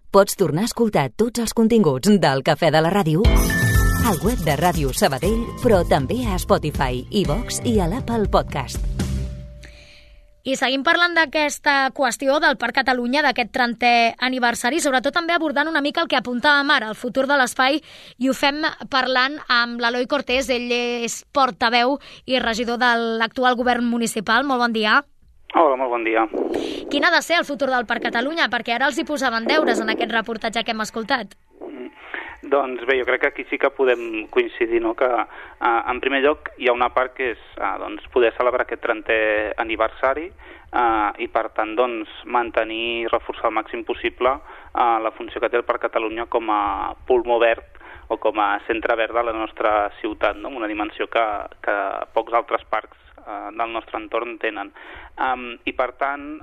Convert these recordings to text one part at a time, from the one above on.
Pots tornar a escoltar tots els continguts del Cafè de la Ràdio al web de Ràdio Sabadell, però també a Spotify, iVox i a l'Apple Podcast. I seguim parlant d'aquesta qüestió del Parc Catalunya, d'aquest 30è aniversari, sobretot també abordant una mica el que apuntàvem ara, el futur de l'espai, i ho fem parlant amb l'Eloi Cortés. Ell és portaveu i regidor de l'actual govern municipal. Molt bon dia. Hola, molt bon dia. Quin ha de ser el futur del Parc Catalunya? Perquè ara els hi posaven deures en aquest reportatge que hem escoltat. Doncs bé, jo crec que aquí sí que podem coincidir, no? Que en primer lloc hi ha una part que és poder celebrar aquest 30è aniversari i per tant mantenir i reforçar al màxim possible la funció que té el Parc Catalunya com a pulmó verd o com a centre verd de la nostra ciutat, no? Una dimensió que pocs altres parcs del nostre entorn tenen. I per tant,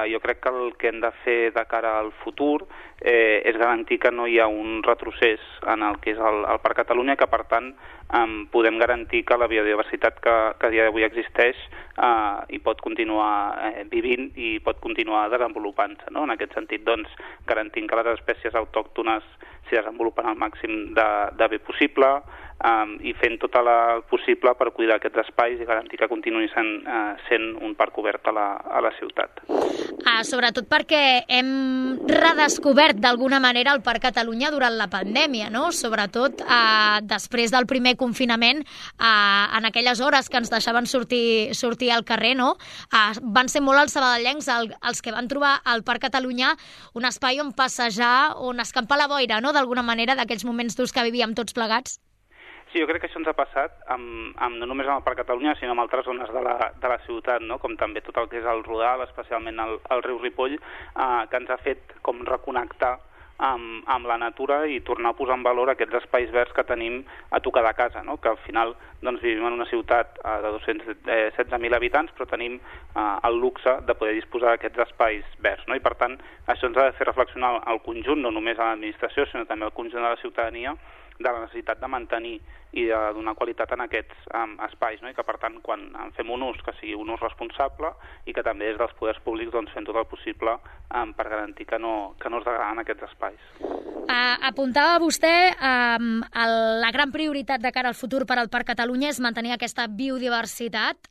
jo crec que el que hem de fer de cara al futur és garantir que no hi ha un retrocés en el que és el Parc Catalunya, que per tant podem garantir que la biodiversitat que a dia d'avui existeix i pot continuar vivint i pot continuar desenvolupant-se, no? En aquest sentit, garantint que les espècies autòctones s'hi desenvolupen al màxim de bé possible i fent tot el possible per cuidar aquests espais i garantir que continuï sent un parc obert a la ciutat. Sobretot perquè hem redescobert d'alguna manera el Parc Catalunya durant la pandèmia, no? Sobretot després del primer confinament, en aquelles hores que ens deixaven sortir al carrer, no? Van ser molt els sabadellencs els que van trobar al Parc Catalunya un espai on passejar, on escampar la boira, no? D'alguna manera, d'aquells moments durs que vivíem tots plegats. Sí, jo crec que això ens ha passat no només amb el Parc Catalunya, sinó amb altres zones de la ciutat, no? Com també tot el que és el Rodal, especialment el riu Ripoll, que ens ha fet com reconnectar amb la natura i tornar a posar en valor aquests espais verds que tenim a tocar de casa, no? Que al final vivim en una ciutat de 216.000 habitants, però tenim el luxe de poder disposar d'aquests espais verds, no? I per tant, això ens ha de fer reflexionar al conjunt, no només a l'administració, sinó també al conjunt de la ciutadania, de la necessitat de mantenir i de donar qualitat en aquests espais, no? I que per tant quan en fem un ús que sigui un ús responsable i que també des dels poders públics fem tot el possible per garantir que no es degraden aquests espais. Apuntava vostè la gran prioritat de cara al futur per al Parc Catalunya és mantenir aquesta biodiversitat.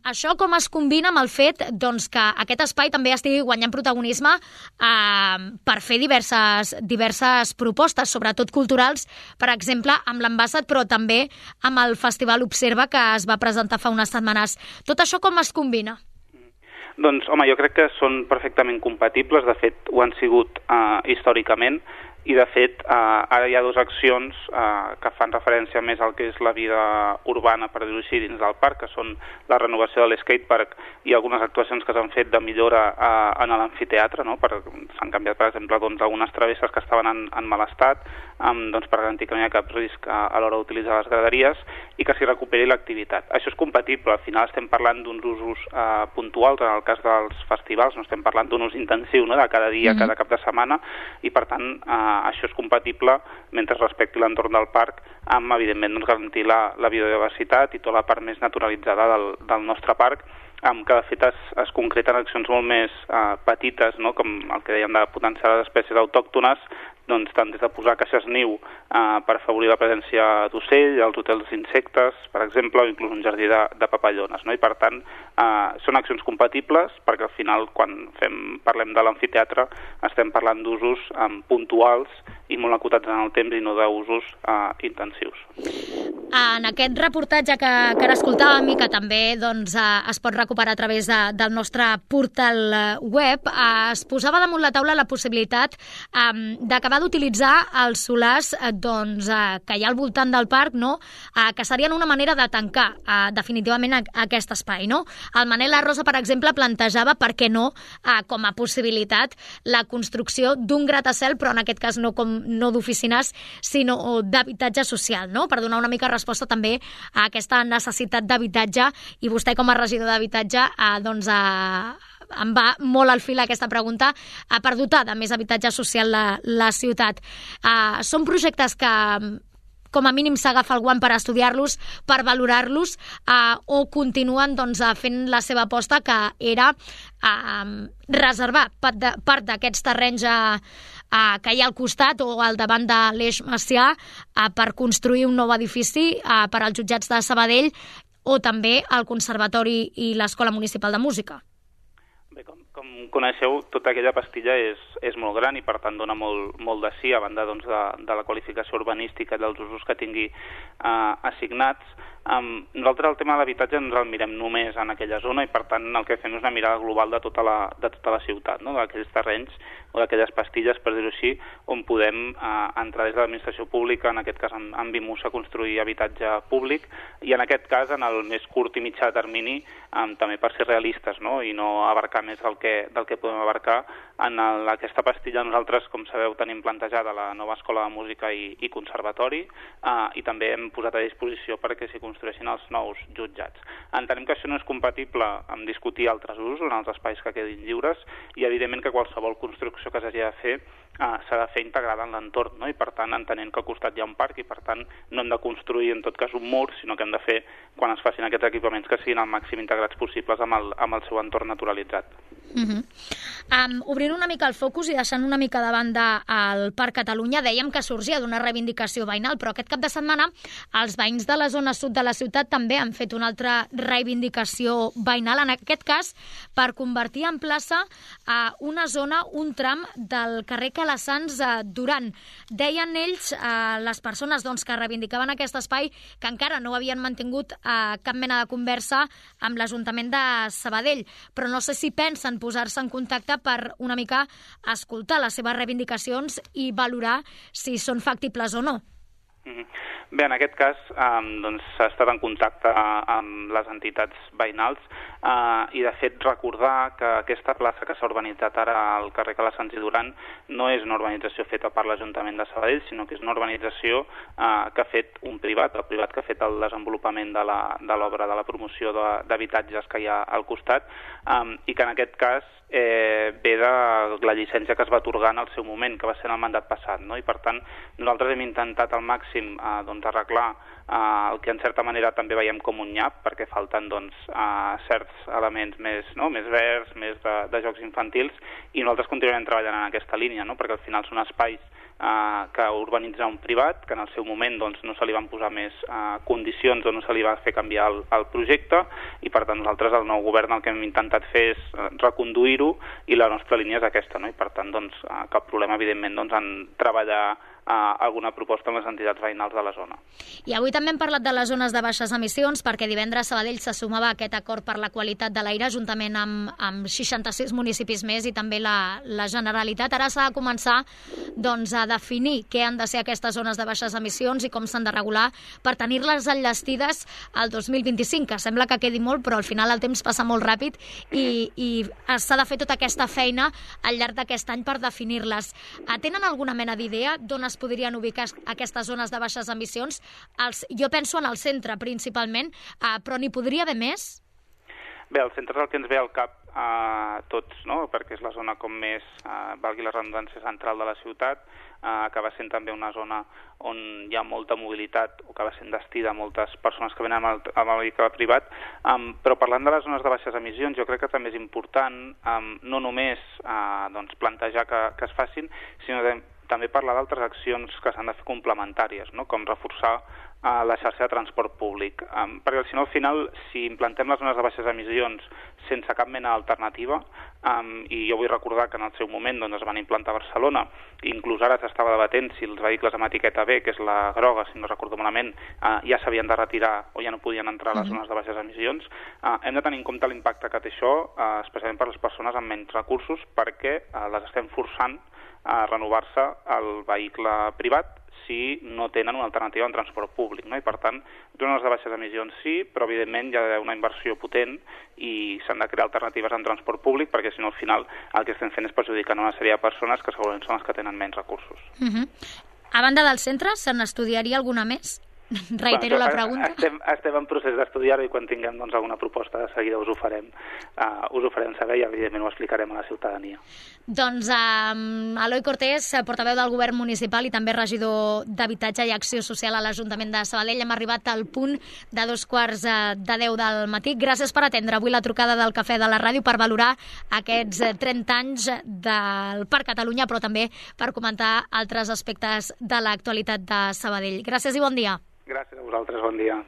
Això com es combina amb el fet que aquest espai també estigui guanyant protagonisme per fer diverses propostes, sobretot culturals, per exemple, amb l'Ambassat, però també amb el Festival Observa que es va presentar fa unes setmanes. Tot això com es combina? Doncs, home, jo crec que són perfectament compatibles, de fet, ho han sigut històricament, i de fet ara hi ha dues accions que fan referència més al que és la vida urbana, per dir-ho així, dins del parc, que són la renovació de l'skatepark i algunes actuacions que s'han fet de millora en l'amfiteatre, no? S'han canviat, per exemple, algunes travesses que estaven en mal estat, per garantir que no hi ha cap risc a l'hora d'utilitzar les graderies i que s'hi recuperi l'activitat. Això és compatible, al final estem parlant d'uns usos puntuals, en el cas dels festivals no estem parlant d'un ús intensiu, no? De cada dia, cada cap de setmana, i per tant això és compatible mentre respecti l'entorn del parc amb, evidentment, garantir la biodiversitat i tota la part més naturalitzada del nostre parc, que de fet es concreten accions molt més petites, no? Com el que dèiem de potenciar les espècies autòctones, tant des de posar caixes niu per afavorir la presència d'ocell, els hotels d'insectes, per exemple, o inclús un jardí de papallones, no? I per tant, són accions compatibles perquè al final, quan parlem de l'amfiteatre, estem parlant d'usos puntuals i molt acotats en el temps i no d'usos intensius. En aquest reportatge que ara escoltàvem i que també es pot recuperar a través del nostre portal web, es posava damunt la taula la possibilitat d'acabar d'utilitzar els solars que hi ha al voltant del parc, no? Que serien una manera de tancar definitivament aquest espai, no? El Manel Arrosa, per exemple, plantejava, per què no, com a possibilitat, la construcció d'un gratacel, però en aquest cas no d'oficines, sinó d'habitatge social, no? Per donar una mica resposta també a aquesta necessitat d'habitatge, i vostè com a regidor d'habitatge em va molt al fil aquesta pregunta, per dotar de més habitatge social la ciutat. Són projectes que com a mínim s'agafa el guant per estudiar-los, per valorar-los, o continuen fent la seva aposta, que era reservar part d'aquests terrenys que hi ha al costat o al davant de l'Eix Macià per construir un nou edifici per als jutjats de Sabadell o també el Conservatori i l'Escola Municipal de Música. Bé, com coneixeu, tota aquella pastilla és molt gran i per tant dona molt de sí, a banda doncs, de la qualificació urbanística i dels usos que tingui assignats. Nosaltres el tema de l'habitatge ens el mirem només en aquella zona i per tant el que fem és una mirada global de tota la ciutat, no? D'aquells terrenys o d'aquelles pastilles, per dir-ho així, on podem entrar des de l'administració pública, en aquest cas amb BIMUS, a construir habitatge públic i en aquest cas en el més curt i mitjà termini també per ser realistes, no? I no abarcar més del que podem abarcar. En aquesta pastilla nosaltres, com sabeu, tenim plantejada la nova escola de música i conservatori i també hem posat a disposició perquè s'hi construeixin els nous jutjats. Entenem que això no és compatible amb discutir altres usos en els espais que quedin lliures i evidentment que qualsevol construcció que s'hagi de fer s'ha de fer integrada en l'entorn, no? I per tant entenent que al costat hi ha un parc i per tant no hem de construir en tot cas un mur, sinó que hem de fer, quan es facin aquests equipaments, que siguin al màxim integrats possibles amb el seu entorn naturalitzat. Obrint una mica el focus i deixant una mica de banda el Parc Catalunya, dèiem que sorgia d'una reivindicació veïnal, però aquest cap de setmana els veïns de la zona sud de la ciutat també han fet una altra reivindicació veïnal, en aquest cas per convertir en plaça una zona, un tram del carrer Calassans Duran. Deien ells, les persones que reivindicaven aquest espai, que encara no havien mantingut cap mena de conversa amb l'Ajuntament de Sabadell, però no sé si pensen posar-se en contacte per una mica escoltar les seves reivindicacions i valorar si són factibles o no. Bé, en aquest cas s'ha estat en contacte amb les entitats veïnals i de fet recordar que aquesta plaça que s'ha urbanitzat ara al carrer Calassans i Duran no és una urbanització feta per l'Ajuntament de Sabadell, sinó que és una urbanització que ha fet un privat, el privat que ha fet el desenvolupament de l'obra de la promoció d'habitatges que hi ha al costat i que en aquest cas ve de la llicència que es va atorgar en el seu moment, que va ser en el mandat passat, no? I per tant nosaltres hem intentat al màxim arreglar el que en certa manera també veiem com un nyap, perquè falten certs elements més verds, més de jocs infantils, i nosaltres continuarem treballant en aquesta línia, no? Perquè al final són espais que urbanitzar un privat, que en el seu moment no se li van posar més condicions o no se li va fer canviar el projecte, i per tant nosaltres, el nou govern, el que hem intentat fer és reconduir-ho, i la nostra línia és aquesta, no? I per tant cap problema, evidentment, en treballar alguna proposta amb les entitats veïnals de la zona. I avui també hem parlat de les zones de baixes emissions, perquè divendres Sabadell se sumava a aquest acord per la qualitat de l'aire, juntament amb 66 municipis més i també la Generalitat. Ara s'ha de començar a definir què han de ser aquestes zones de baixes emissions i com s'han de regular per tenir-les enllestides al 2025, que sembla que quedi molt, però al final el temps passa molt ràpid i s'ha de fer tota aquesta feina al llarg d'aquest any per definir-les. Tenen alguna mena d'idea d'on es podrien ubicar aquestes zones de baixes emissions? Jo penso en el centre, principalment, però n'hi podria haver més? Bé, el centre és el que ens ve al cap a tots, no? Perquè és la zona com més, valgui la redundància, central de la ciutat, acaba sent també una zona on hi ha molta mobilitat o acaba sent destí de moltes persones que venen amb el vehicle privat, però parlant de les zones de baixes emissions jo crec que també és important no només plantejar que es facin, sinó també parlar d'altres accions que s'han de fer complementàries, no? Com reforçar la xarxa de transport públic. Perquè si no, al final, si implantem les zones de baixes emissions sense cap mena d'alternativa, i jo vull recordar que en el seu moment es van implantar a Barcelona, inclús ara s'estava debatent si els vehicles amb etiqueta B, que és la groga, si no recordo malament, ja s'havien de retirar o ja no podien entrar a les zones de baixes emissions, hem de tenir en compte l'impacte que té això, especialment per les persones amb menys recursos, perquè les estem forçant a renovar-se el vehicle privat si no tenen una alternativa en transport públic, no? I per tant, zones de baixes emissions sí, però evidentment hi ha d'haver una inversió potent i s'han de crear alternatives en transport públic perquè si no al final el que estem fent és perjudicar una sèrie de persones que segurament són les que tenen menys recursos. A banda del centre, se n'estudiaria alguna més? Reitero la pregunta. Estem en procés d'estudiar-ho i quan tinguem alguna proposta de seguida us ho farem saber i evidentment ho explicarem a la ciutadania. Doncs Eloi Cortés, portaveu del Govern Municipal i també regidor d'Habitatge i Acció Social a l'Ajuntament de Sabadell, hem arribat al punt de 9:45 del matí. Gràcies per atendre avui la trucada del Cafè de la Ràdio, per valorar aquests 30 anys del Parc Catalunya, però també per comentar altres aspectes de l'actualitat de Sabadell. Gràcies i bon dia. Gràcies a vosaltres, bon dia.